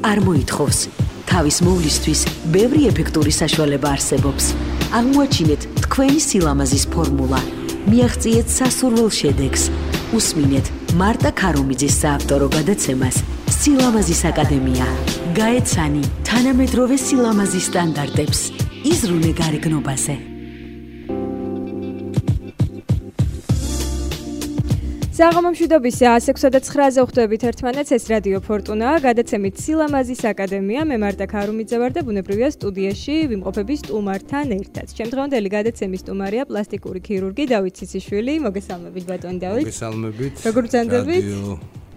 არ მოითხოვს. თავის მოვლისთვის ბევრი ეფექტური საშუალება არსებობს. აღმოაჩინეთ თქვენი სილამაზის ფორმულა. მიაღწიეთ სასურველ შედეგს. უსმინეთ მარტა ქარუმიძის საავტორო გადაცემას სილამაზის აკადემია. გაეცანი თანამედროვე სილამაზის სტანდარტებს. იზრუნე გარეგნობაზე. საღამომშვიდობის 106-9-ზე ხვდებით ერთმანეთს, ეს რადიო ფორტუნაა, გადაცემით სილამაზის აკადემია, მე მარტა ქარუმიძე ვარ და ბუნებრივია სტუდიაში ვიმყოფები სტუმართან ერთად. შემდგომდელი გადაცემის სტუმარია პლასტიკური ქირურგი დავით ციციშვილი. მოგესალმებით ბატონი დავით. მოგესალმებით. როგორ გრძანდებით?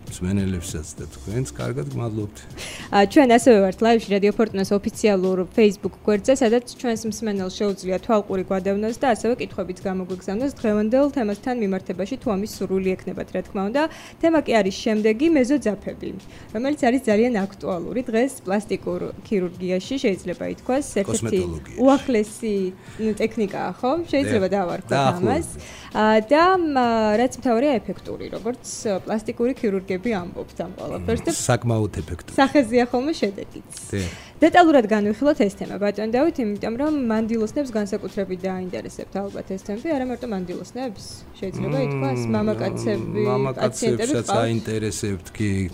მსმენელებსაც და თქვენს კარგად გმადლობთ. ჩვენ ასევე ვართ ლაივში რადიო ფორტუნას ოფიციალურ Facebook გვერდზე, სადაც ჩვენს მსმენელს შეუძლია თვალყური გვადევნოს და ასევე კითხვებიც გამოგვიგზავნოს დღევანდელ თემასთან მიმართებაში, თუ ამის სურვილი ექნებათ, რა თქმა უნდა. თემა კი არის შემდეგი მეზოძაფები, რომელიც არის ძალიან აქტუალური დღეს პლასტიკურ ქირურგიაში, შეიძლება ითქვას, ერთ-ერთი უახლესი ტექნიკაა, ხო? შეიძლება დავარქვათ ამას. და რაც მთავარია ეფექტური, როგორც პლასტიკური ქირურგები ამბობთ ამ ყველაფერს და საკმაოდ ეფექტური. სახეზეა ხოლმე შედეგიც. დეტალურად განვიხილოთ ეს თემა, ბატონ დავით, იმიტომ რომ მანდილოსნებს განსაკუთრებით დააინტერესებთ ალბათ ეს თემები, არა მარტო მანდილოსნებს, შეიძლება ითქვას, მამაკაცებსაც აინტერესებთ კი.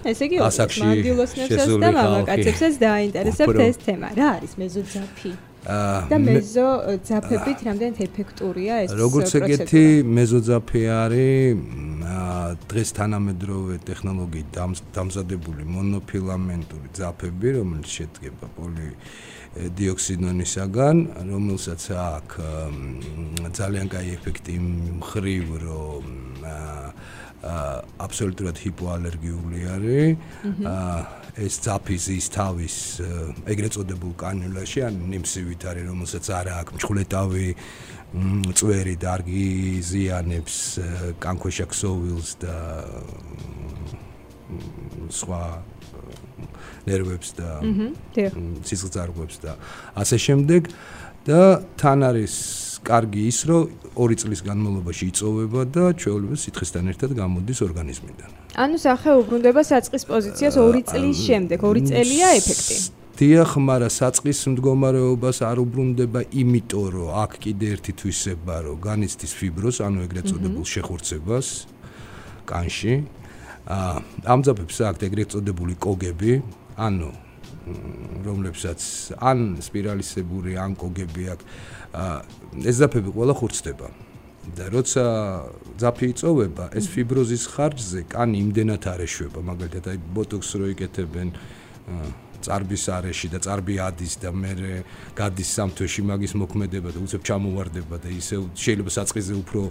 ესე იგი, მანდილოსნებსაც და მამაკაცებსაც დააინტერესებთ ეს თემა. რა არის მეზოძაფი? და მეზოძაფებით რამდენად ეფექტურია ეს პროცედურა? როგორც ეგეთი მეზოძაფი არის დღეს თანამედროვე ტექნოლოგიით დამზადებული მონოფილამენტური ძაფები, რომელიც შედგება პოლიდიოქსინონისაგან, რომელსაც აქვს ძალიან კაი ეფექტი მხრივ, რომ აბსოლუტურად ჰიპოალერგიული არის. ეს ძაფი ზის თავის ეგრეთ წოდებულ კანიულაში, ან ნიმსივით არის, რომელსაც არ აქვს მჩხვლეტავი წვერი, დარგი ზიანებს, კანქვეშა ქსოვილს და სხვა ნერვებს და სისხლძარღვებს და ასე შემდეგ და თან არის კარგი ის, რომ 2 წლის განმავლობაში იწოვება და ჩვეულებრივ სითხესთან ერთად გამოდის ორგანიზმიდან. ანუ სახე უბრუნდება საწყის პოზიციას 2 წლის შემდეგ, 2 წელია ეფექტი. დიახ, მაგრამ საწყის მდგომარეობას არ უბრუნდება, იმიტომ რომ აქ კიდე ერთი თვისება, რომ განიცდის ფიბროს, ანუ ეგრეთ წოდებულ შეხურცებას კანში. ამ ძაფებს აქვთ ეგრეთ წოდებული კოგები, ანუ რომლებსაც ან სპირალისებური, ან კოგები აქვს. ეს ძაფები ყველა ხურცდება. და როცა ძაფი იწოვება, ეს ფიბროზის ხარჯზე კანი იმდენად არ ეშვება, მაგალითად, აი ბოტოქს რო იკეთებენ წარბის არეში და წარბი ადის და მე გადის სამთვეში მაგის მოქმედება და უცებ ჩამოვარდება და ისე შეიძლება საწყისზე უფრო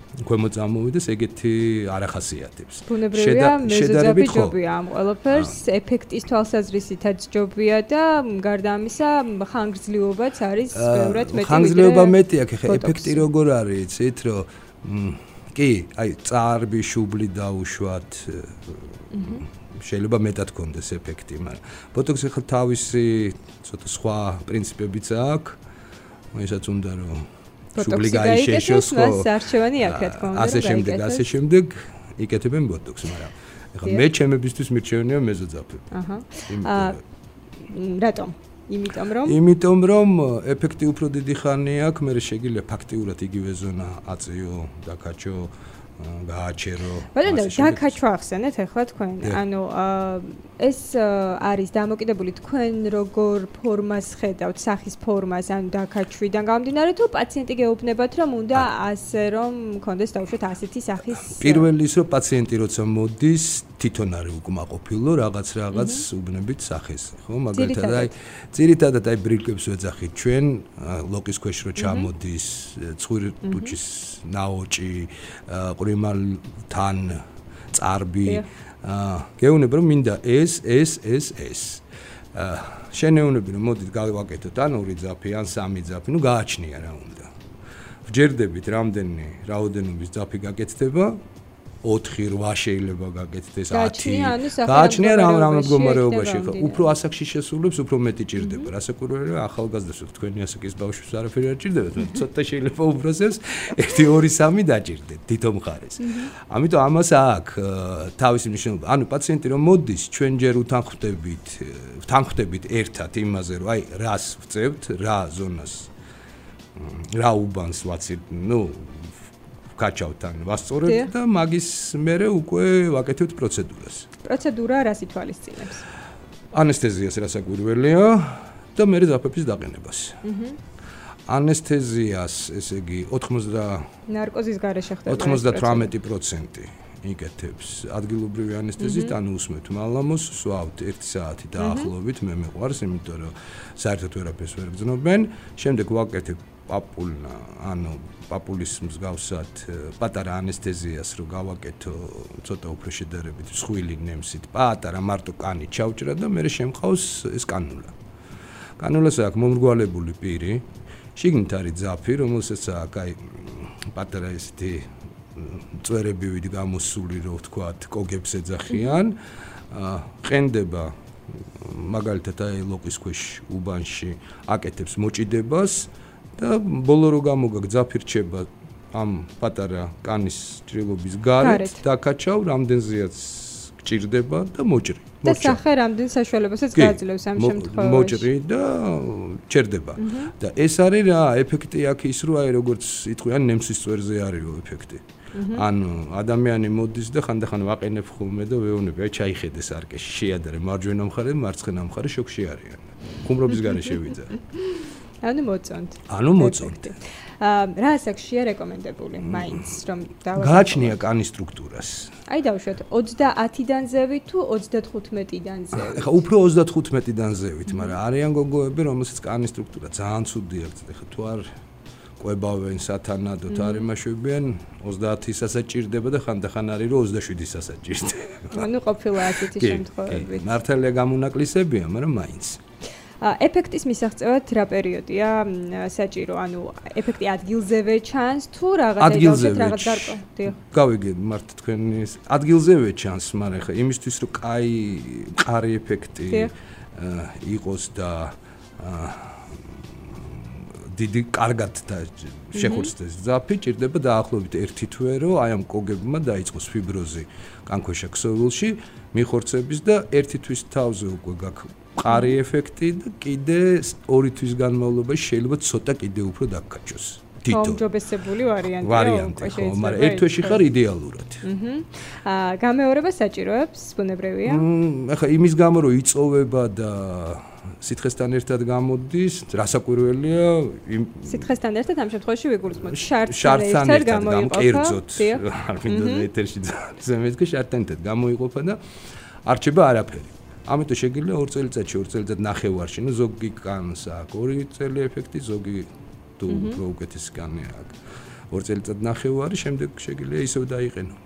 ქვემოთ წამოვიდეს, ეგეთი არ ახასიათებს. ბუნებრივია მეზოძაფი ჯობია ამ ყველაფერს, ეფექტის თვალსაზრისითაც ჯობია და გარდა ამისა ხანგრძლივობაც არის ბევრად მეტი. ხანგრძლივობა მეტია, ხე ეფექტი როგორ არის, იცით, რომ კი, აი წარბი, შუბლი დაუშვათ, შეიძლება მეტად კონდეს ეფექტი, მაგრამ ბოტოქსი ხო თავისი ცოტა სხვა პრინციპებიც აქვს, ისაც უნდა რომ შუბლი გაიშეშოს, ხო? არჩევანი აქვს, რა თქმა უნდა. ასე შემდეგ იკეთებენ ბოტოქს, მაგრამ ეხლა მე ჩემებისთვის მირჩევნია მეზოძაფები. რატომ? იმიტომ რომ ეფექტი უფრო დიდი ხანი აქვს, მე შეგიძლია ფაქტიურად იგივე ზონა აწიო, დაკაჩო, გააჩერო. ბატონო, დაკაჩვა ახსენეთ ახლა თქვენ. ანუ ეს არის დამოკიდებული თქვენ როგორ ფორმას ხედავთ, სახის ფორმას, ანუ დაკაჩვიდან გამომდინარე, თუ პაციენტი გეუბნებათ, რომ უნდა ასე რომ მქონდეს დაუშვათ ასეთი სახის. პირველი ის რომ პაციენტი როცა მოდის, თვითონ არის უკმაყოფილო, რაღაც უბნებით სახეს, ხო? მაგალითად, აი ძირითადად აი ბრილკებს ვეძახით ჩვენ, ლოკის ქვეშ რო ჩამოდის, ცხვირი ტუჩის ნაოჭი, ყრიმალთან წარბი, გეუბნები რომ მინდა ეს. შენეუნები რომ მოდით გავაკეთოთ ან 2 ძაფი, ან 3 ძაფი, ნუ გააჩნია რა უნდა. ვჯერდებით რამდენი რაოდენობის ძაფი გაკეთდება 4-8 შეიძლება გაკეთდეს 10. გააჩნია გააჩნია რამ მდგომარეობაში ხო. უფრო ასაკში შესულებს უფრო მეტი ჭირდება. რასაკვირველია ახალგაზრდებს თქვენი ასაკის ბავშვებს არაფერი არ ჭირდებათ, ცოტა შეიძლება უბრალოდ 1-2-3 დაჭირდეთ თითო მხარეს. ამიტომ ამას აქვს თავისი მნიშვნელობა. ანუ პაციენტი რომ მოდის, ჩვენ ჯერ ვთანხმდებით ერთად იმაზე, რომ აი რას ვწევთ, რა ზონას რა უბანს ვაცილ, გაჩავთან ვასწორებთ და მაგის მერე უკვე ვაკეთებთ პროცედურას. პროცედურა რას ითვალისწინებს? ანესთეზიას რასაკვირველია და მერე ძაფების დაყენებას. ანესთეზიას, ესე იგი, ნარკოზის გარეშე ხდება 98% იკეთებს ადგილობრივი ანესთეზით, ანუ უსმევთ მალამოს, სვავთ 1 საათი დაახლოებით, მე მეყვარს, იმიტომ რომ საერთოდ ვერაფერს ვერ გძნობენ. შემდეგ ვაკეთებ პაპულა, ანუ პაპულის მსგავსად პატარა ანესთეზიას რო გავაკეთო ცოტა უფრო შედარებით მსხვილი ნემსით, პატარა მარტო კანი ჩავჭრა და მე შემყავს ეს კანულა. კანულას აქვს მომრგვალებული პირი, შიგნით არის ძაფი, რომელსაც აქვს აი პატარა ესეთი წვერებივით გამოსული, რო ვთქვათ, კოგებს ეძახიან, ყენდება მაგალითად აი ლოყის ქვეშ უბანში აკეთებს მოჭიდებას და ბოლო რო გამოგაგ ძაფი რჩება ამ პატარა კანის ჭრილობის გარეთ დაკაჩავ, რამდენზეაც გჭირდება და მოჭრი. და სახე რამდენ საშუალებასაც გააძლევს ამ შემთხვევაში. მოჭრი და ჩერდება. და ეს არის რა ეფექტი აქ ის რო აი როგორც იტყვიან ნემსის წვერზე არისო ეფექტი. ანუ ადამიანი მოდის და ხანდახან ვაყენებ ხოლმე და ვეუბნები, აი ჩაიხედეს არკეში, შეადარე მარჯვენა მხარე, მარცხენა მხარე შოქში არიან. ხუმრობის გარეშე ვიძა. ანუ მოწონთ. რა ასაკშია რეკომენდებული მაინც რომ გააჩნია კანის სტრუქტურას. აი დავუშვათ 30-დან ზევით თუ 35-დან ზევით. ეხა უფრო 35-დან ზევით, მაგრამ არიან გოგოები, რომელსაც კანის სტრუქტურა ძალიან ცუდი აქვს. ეხა თუ არ ყვებავენ სათანადოდ არ იმაშვებიან 30-ისაც ჭირდება და ხანდახან არის რომ 27-ისაც ჭირდება. ანუ ყოფილა ასეთი შემთხვევები. მართალია გამონაკლისებია, მაგრამ მაინც. ეფექტის მისაღწევად რა პერიოდია საჭირო? ანუ ეფექტი ადგილზევე ჩანს თუ რაღაც გარკვეულ? გავიგე მართ თქვენი ადგილზევე ჩანს, მაგრამ ხა იმისთვის რომ კაი მყარი ეფექტი იყოს და დიდი კარგად და შეხურცდეს ძაფი, ჭირდება დაახლოებით 1 თვე, რომ აი ამ კოგებმა დაიწყოს ფიბროზი კანქვეშა ქსოვილში, მიხორცების და 1 თვის თავზე უკვე გაქვს მყარი ეფექტი და კიდე 2 თვის განმავლობაში შეიძლება ცოტა კიდე უფრო დაგკაჩოს. გაუმჯობესებული ვარიანტია. მაგრამ 1 თვეში ხარ იდეალურად. გამეორება საჭიროებს, ბუნებრივია. ახლა იმის გამო რომ იწოვება და სითხესთან ერთად გამოდის, რასაკვირველია, სითხესთან ერთად ამ შემთხვევაში ვიგულისხმობ. შარტთან ერთად გამკერძოთ. არ მინდა ეთერში ზემეთკი შარტთან ერთად გამოიყოფა და არჩება არაფერი. ამიტომ შეგიძლია 2 წელიწადში, 2 წელიწად ნახევარში, ნუ ზოგი კანს აქვს 2 წელი ეფექტი, ზოგი თუ უფრო უკეთესი კანი აქვს. 2 წელიწად ნახევარი, შემდეგ შეგიძლია ისევ დაიყენო.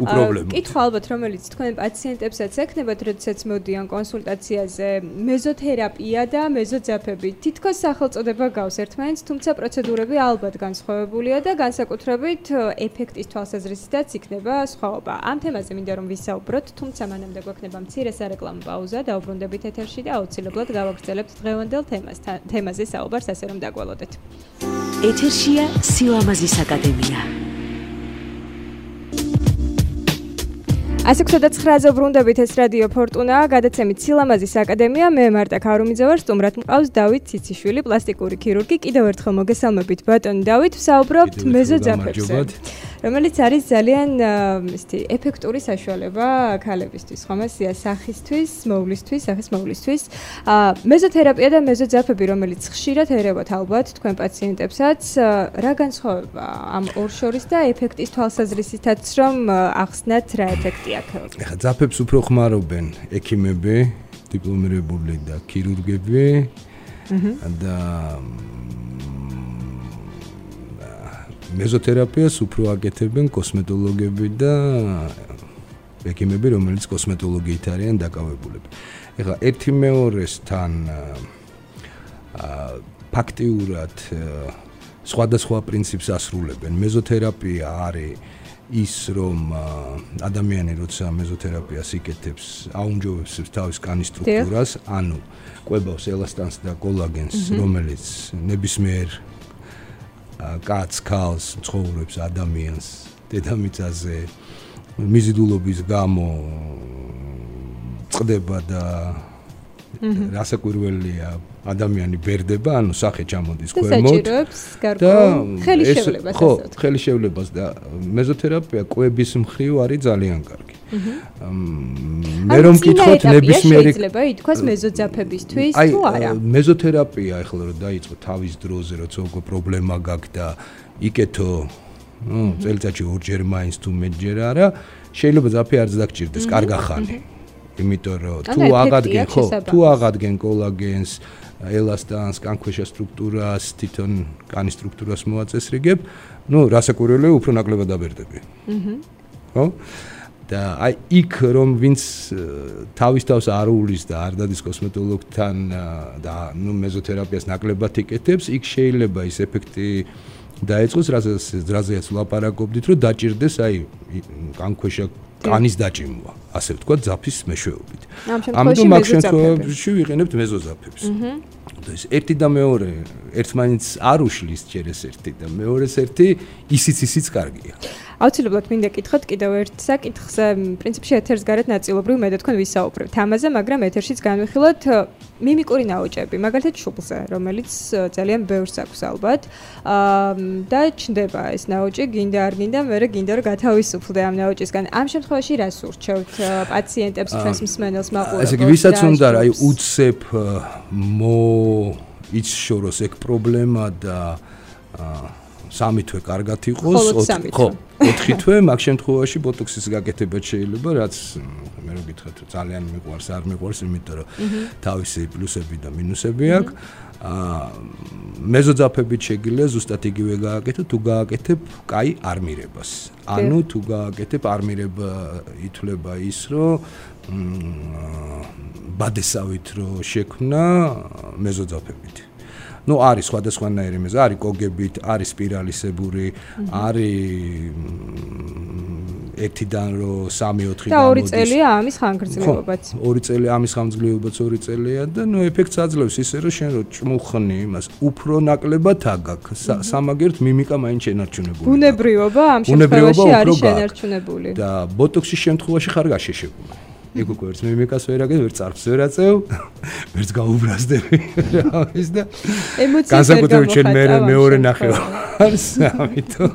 უპრობლემოდ. კითხვა ალბათ, რომელიც თქვენ პაციენტებსაც ექნებათ, როდესაც მოდიან კონსულტაციაზე, მეზოთერაპია და მეზოძაფები. თითქოს სახელწოდება გავს ერთმანეთს, თუმცა პროცედურები ალბათ განსხვავებულია და განსაკუთრებით ეფექტის თვალსაზრისითაც იქნება სხვაობა. ამ თემაზე მინდა რომ ვისაუბროთ, თუმცა მანამდე გვექნება მცირე სარეკლამო პაუზა, დაუბრუნდებით ეთერში და აუცილებლად გავაგრძელებთ დღევანდელ თემაზე საუბარს, ასე რომ დაგველოდეთ. ეთერშია სილამაზის აკადემია. 109-ზე ბრუნდებით, ეს რადიო ფორტუნა, გადაცემით სილამაზის აკადემია, მე მარტა ქარუმიძე ვარ, სტუმრად მყავს დავით ციციშვილი, პლასტიკური ქირურგი. კიდევ ერთხელ მოგესალმებით ბატონი დავით, ვსაუბრობთ მეზოძაფებზე, რომელიც არის ძალიან ეფექტური საშუალება ქალებისთვის, ხომ ესეა, სახისთვის, სახის მოვლისთვის. მეზოთერაპია და მეზოძაფები, რომელიც ხშირად ერევათ ალბათ თქვენ პაციენტებსაც, რა განსხვავება ამ ორ შორის და ეფექტის თვალსაზრისითაც რომ ახსნათ რა ეფექტია? ეხლა ძაფებს უფრო ხმარობენ ექიმები, დიპლომირებული და ქირურგები და მეზოთერაპიას უფრო აკეთებენ კოსმეტოლოგები და ექიმები, რომელიც კოსმეტოლოგიით არიან დაკავებულები. ეხლა ერთი მეორესთან ფაქტიურად სხვადასხვა პრინციპს ასრულებენ. მეზოთერაპია არის ის რომ ადამიანი როცა მეზოთერაპიას იკეთებს, აუნჯობებს თავის კანის სტრუქტურას, ანუ კვებავს ელასტანს და კოლაგენს, რომელიც ნებისმიერ კაცს, ქალს, ცხოვრებს ადამიანს დედამიწაზე მიზიდულობის გამო წყდება და რასაკვირველია ადამიანი ბერდება, ანუ სახე ჩამოდის ქვემოთ და ხელი შევლებას ხო, ხელი შევლებას და მეზოთერაპია კვების მხრივ არის ძალიან კარგი. მე რომ მკითხოთ ნებისმიერი შეიძლება ითქვას მეზოძაფებისთვის თუ არა? მეზოთერაპია ახლა რომ დაიწყო თავის დროზე, როცა უკვე პრობლემა გაქვს და იკეთო წელიწადში ორჯერ მაინც თუ მეტჯერ არა, შეიძლება ძაფი არც დაგჭირდეს, კარგა ხანი. იმიტომ რომ თუ აღადგენ კოლაგენს, ელასტანს, კანქვეშა სტრუქტურას, თვითონ კანის სტრუქტურას მოაწესრიგებ, რასაკვირველია, უფრო ნაკლებად დაბერდები. ხო? და აი იქ რომ ვინც თავის თავს არ უვლის და არ დადის კოსმეტოლოგთან და მეზოთერაპიას ნაკლებად იკეთებს, იქ შეიძლება ის ეფექტი დაეწყოს, რაზეც ვლაპარაკობდით, რომ დაჭირდეს აი კანქვეშა კანის დაჭიმვა, ასე ვთქვათ, ძაფის მეშვეობით. ამიტომ მაგ შემთხვევაში ვიყენებთ მეზოძაფებს. და ეს ერთი და მეორე ერთმანეთს არ უშლის ჯერ ეს ერთი და მეორეს ერთი ისიც კარგია. აუცილებლად მინდა კითხოთ კიდევ ერთ საკითხს, პრინციპში ეთერს გარეთ ნაწილობრივ მე და თქვენ ვისაუბრებთ ამაზე, მაგრამ ეთერშიც განვიხილოთ მიმიკური ნაოჭები, მაგალითად შუბლზე, რომელიც ძალიან ბევრს აქვს ალბათ. და ჩნდება ეს ნაოჭი, გინდა არ გინდა, მერე გინდა რომ გათავისუფლდე ამ ნაოჭისგან. ამ შემთხვევაში რას ურჩევთ პაციენტებს, ჩვენს მსმენელს, მაყურებელს? ესე იგი, ვისაც უნდა რა უცებ იცშოროს ეგ პრობლემა და 3 თვე კარგად იყოს, 4 თვე, მაგ შემთხვევაში ბოტოქსის გაკეთება შეიძლება, რაც მე რო გითხრათ, ძალიან მიყვარს, არ მიყვარს, იმიტომ რომ თავისი პლუსები და მინუსები აქვს. მეზოძაფებით შეგიძლია ზუსტად იგივე გააკეთო, თუ გააკეთებ კაი არმირებას. ანუ თუ გააკეთებ არმირება ითვლება ის, რომ ბადესავით რო შექმნა მეზოძაფებით. არის სხვადასხვანაირი მეზო, არის კოგებით, არის სპირალისებური, არის 1-დან 3-4 და 2 წელია ამის ხანგრძლივობაც. 2 წელი ამის ხანგრძლივობაც 2 წელია და ეფექტს აძლევს ისე რომ შენ რო ჭმუხნი იმას, უფრო ნაკლებად აგაქვს. სამაგერთ მიმიკა მაინც შენარჩუნებული. ბუნებრიობა ამ შემთხვევაში არის შენარჩუნებული. და ბოტოქსის შემთხვევაში ხარ გაშეშებული. იქ უკვე ვერც მიმიკას ვერ აგებ, ვერც წარფს ვერ აწევ, ვერც გაუბრაზდები. ის და განსაკუთრებით შენ მეორე ნახევარს, ამიტომ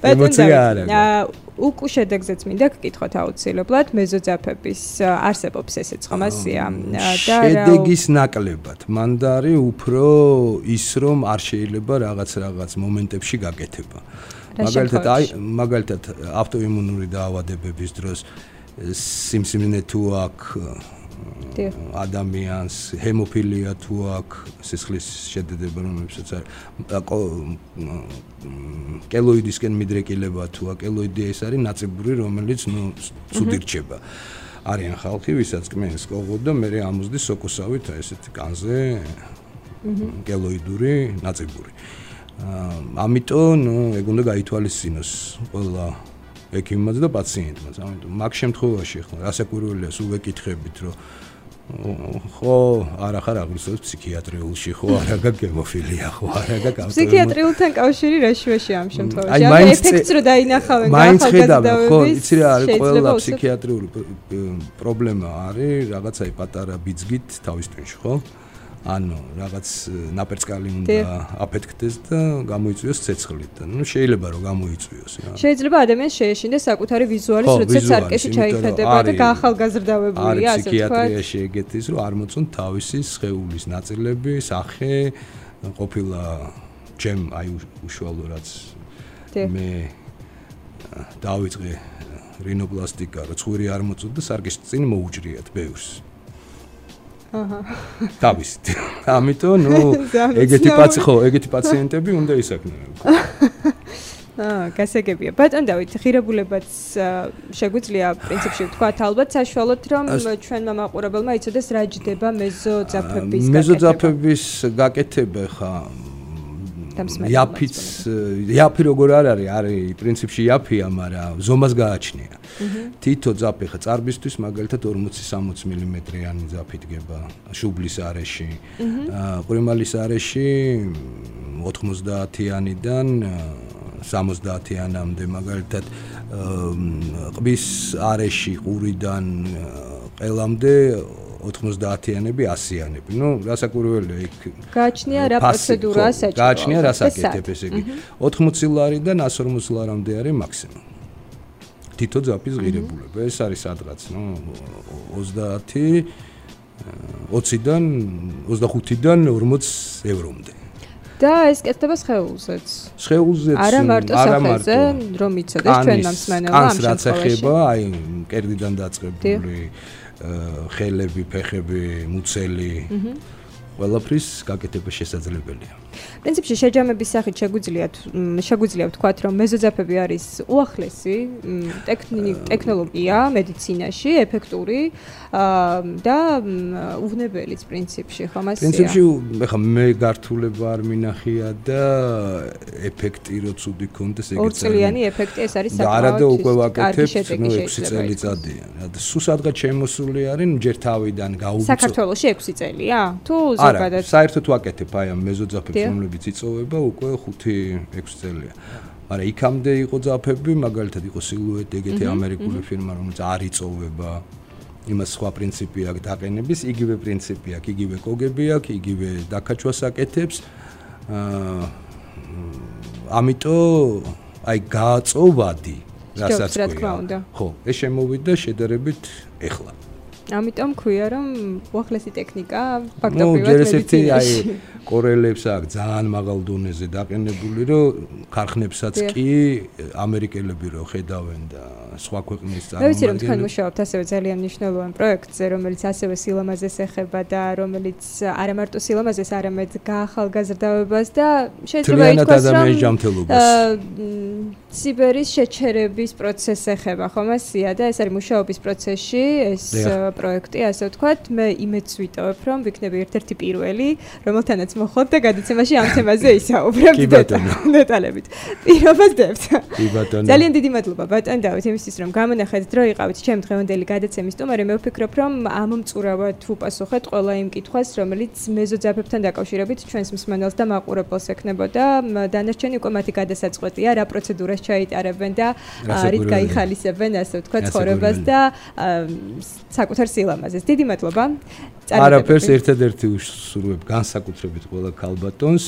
ემოცია არ აქვს. უკუ შედეგზეც მინდა გკითხოთ აუცილებლად, მეზოძაფების არსებობს ესეც ხომ ასია და შედეგის ნაკლებად. მანდარი უფრო ის რომ არ შეიძლება რაღაც მომენტებში გაკეთება. მაგალითად ავტოიმუნური დაავადებების დროს სიმსივნე თუ აქვს ადამიანს, ჰემოფილია თუ აქვს, სისხლის შედედება რომელსაც კელოიდისკენ მიდრეკილება თუ აქვს, კელოიდი ეს არის ნაწიბური, რომელიც ცუდი რჩება. არიან ხალხი, ვისაც კმენს კოღო და მე ამოსდის სოკოსავით ესეთი კანზე კელოიდური ნაწიბური. ამიტომ ეგ უნდა გაითვალისწინოს ყველა ექიმმაც და პაციენტმაც. ამიტომ მაგ შემთხვევაში ხო რასაკვირველია სულ ვეკითხებით რომ ხო არა ხარ აღნიშნავს ფსიქიატრიულში ხო არა გაქვს ჰემოფილია ხო არა გაქვს ფსიქიატრიულთან კავშირი რა შუაში ამ შემთხვევაში ამ ეფექტს რო დაინახავენ ახალგაზრდაობების ხო იცი რა არის ყველა ფსიქიატრიული პრობლემა არის რაღაცაი პატარა ბიძგით თავის ტვინში ხო ანუ რაღაც ნაპერწკალი უნდა აფეთქდეს და გამოიწვიოს ცეცხლით და ნუ შეიძლება რომ გამოიწვიოს რა შეიძლება ადამიანს შეეშინდეს საკუთარი ვიზუალის როდესაც არკეში ჩაიხედება და გაახალგაზრდავებულია ასე თქვა ფსიქიატრიაში ეგეთის რომ არ მოწონთ თავისი სხეულის ნაწილები სახე ყოფილა ჩემ აი უშუალოდ მე დავიწყე რინოპლასტიკა რომ ცხვირი არ მოწონთ და სარკეში წინ მოუჭრიათ ბევრს თავისით. ამიტომ ნუ ეგეთი პაციენტები უნდა ისაქმნონ. გასაგებია. ბატონ დავით, ღირებულებაც შეგვიძლია პრინციპში ვთქვათ ალბათ საშუალოდ რომ ჩვენმა მაყურებელმა იცოდეს რა ჯდება მეზოძაფების გაკეთება. მეზოძაფების გაკეთება ხა იაფი როგორ არ არის პრინციპში იაფია, მაგრამ ზომას გააჩნია. თითო ძაფი ხა წარბისთვის მაგალითად 40-60 მმ-იანი ძაფი დგება შუბლის არეში. ყვრიმალის არეში 90-იანიდან 70-იანამდე მაგალითად ყბის არეში ყურიდან ყელამდე 90-იანები 100-იანები. ნუ რასაკვირველია იქ გააჩნია რა პროცედურაა საჭირო. გააჩნია რა საკეთებ ესე იგი. 80 ლარიდან 140 ლარამდე არის მაქსიმუმ. თითო ძაფის ღირებულება. ეს არის სადღაც, ნუ 20-დან 25-დან 40 ევრომდე. და ეს კეთდება სხეულზეც. სხეულზეც არა მარტო სახელზე, რომ იცოდეს ჩვენ მომსმენელმა ამ შემთხვევაში. რაც ეხება, აი კერდიდან დაწყებული ხელები, ფეხები, მუცელი. ყველაფრის გაკეთება შესაძლებელია. პრინციპში შეჯამების სახით შეგვიძლია ვთქვათ, რომ მეზოძაფები არის უახლესი ტექნოლოგია მედიცინაში, ეფექტური და უვნებელიც პრინციპში, ხომ ასეა? პრინციპში ეხა მე გართულება არ მინახია და ეფექტი რო ცუდი კონდეს ეგეც არის. ორწლიანი ეფექტი ეს არის საკმაოდ. და არა და უკვე ვაკეთებ, ნუ 6 წელიწადია. და სულ სადღაც შემოსული არის, ჯერ თავიდან გაუწო. საქართველოში 6 წელია? თუ არა, საერთოდ ვაკეთებ აი ამ მეზოძაფებს, რომლებიც იწოვება უკვე 5-6 წელია. მაგრამ იქამდე იყო ძაფები, მაგალითად იყო სილუეტი, ეგეთი ამერიკული ფირმა, რომელიც არ იწოვება. იმას სხვა პრინციპი აქვს დაყენების, იგივე პრინციპი აქვს, იგივე კოგები აქვს, იგივე დაკაჩვას აკეთებს. ამიტომ აი გააწოვადი, რასაც ქვია. ხო, ეს შემოვიდა შედარებით ეხლა. ამიტომ ქვია რომ უახლესი ტექნიკა ფაქტობრივად მედიცინაში. აი კორელებს აქვს ძალიან მაღალ დონეზე დაყენებული, რომ ქარხნებსაც კი ამერიკელები რო ხედავენ და სხვა ქვეყნის წარმომადგენლები. მე ვიცი რომ თქვენ მუშაობთ ასევე ძალიან მნიშვნელოვან პროექტზე, რომელიც ასევე სილამაზეს ეხება და რომელიც არა მარტო სილამაზეს, არამედ გაახალგაზრდავებას და შეიძლება ითქვას რომ ციბერის შეჩერების პროცესს ეხება, ხომ ასეა და ეს არის მუშაობის პროცესში ეს პროექტი, ასე ვთქვათ, მე იმედს ვიტოვებ, რომ ვიქნები ერთ-ერთი პირველი, რომელთანაც მოხდეთ და გადაცემაში ამ თემაზე ისაუბრებთ დეტალებით. პირობას დებთ. კი ბატონო. ძალიან დიდი მადლობა ბატონ დავით იმისთვის, რომ გამონახეთ დრო იყავით ჩემი დღევანდელი გადაცემის სტუმარი. მე ვფიქრობ, რომ ამომწურავად ვუპასუხეთ ყველა იმ კითხვას, რომელიც მეზოძაფებთან დაკავშირებით ჩვენს მსმენელს და მაყურებელს ექნებოდა. დანარჩენი უკვე მათი გადასაწყვეტია, რა პროცედურას ჩაიტარებენ და რით გაიხალისებენ, ასე ვთქვათ, ცხოვრებას და საკუთარ სილამაზეს. დიდი მადლობა. არაფერს ერთადერთი უსურვებ განსაკუთრებით ყველა ქალბატონს,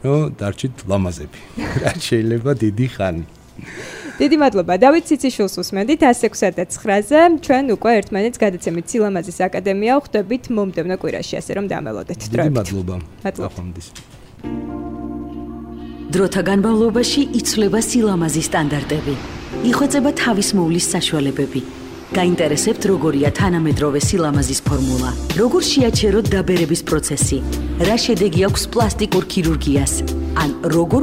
რომ დარჩით ლამაზები. რაც შეიძლება დიდი ხანი. დიდი მადლობა. დავით ციციშვილს უსმენდით 106-9-ზე. ჩვენ უკვე ერთმანეთს გადაცემით სილამაზის აკადემია ვხვდებით მომდევნო კვირაში, ასე რომ დამელოდეთ. დიდი მადლობა. ახონდის. დროთა განმავლობაში იცვლება სილამაზის სტანდარტები. იხვეწება თავისმოვლის საშუალებები. გაინტერესებთ როგორია თანამედროვე სილამაზის ფორმულა? როგორ შეაჩეროთ დაბერების პროცესი? რა შედეგი აქვს პლასტიკურ ქირურგიას? ან როგორ